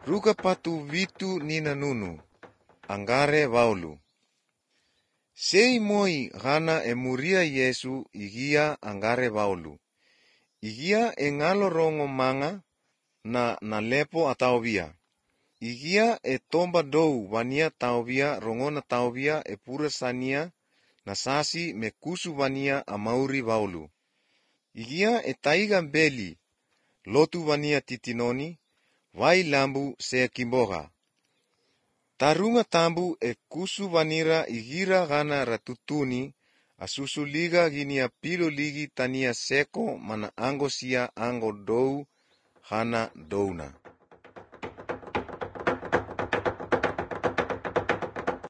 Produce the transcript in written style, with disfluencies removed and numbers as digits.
Ruka patu vitu nina nunu, angare vaulu. Sei moi gana emuria Yesu igia angare vaulu. Igia engalo rongo manga na lepo ataovia. Igia e tomba dou vania taovia rongona taovia e pura sania na sasi me kusu vania amauri vaulu. Igia e taiga beli lotu vania titinoni vai lambu se kimboga. Tarunga tambu e kusu vanira igira gana ratutuni asusuliga ginia pilo ligi tania seko mana angosia ango dou gana douna.